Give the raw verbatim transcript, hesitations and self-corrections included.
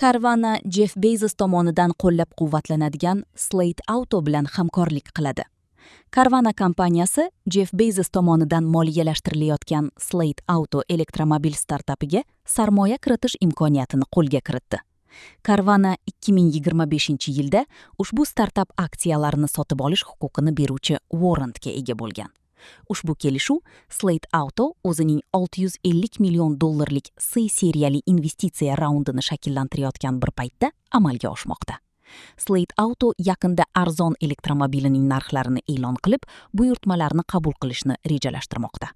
Carvana Jeff Bezos tomonidan qo'llab-quvvatlanadigan Slate Auto bilan hamkorlik qiladi. Carvana kompaniyasi Jeff Bezos tomonidan moliyalashtirilayotgan Slate Auto elektromobil startapiga sarmoya kiritish imkoniyatini qo'lga kiritdi. Carvana ikki ming yigirma beshinchi yilda ushbu startap aksiyalarini sotib olish huquqini beruvchi warrantga ega bo'lgan. Ushbu kelishuv Slate Auto o'zining olti yuz ellik million dollarlik C seriyali investitsiya raundini shakllantirayotgan bir paytda amalga oshmoqda. Slate Auto yaqinda arzon elektromobilining narxlarini e'lon qilib, buyurtmalarni qabul qilishni rejalashtirmoqda.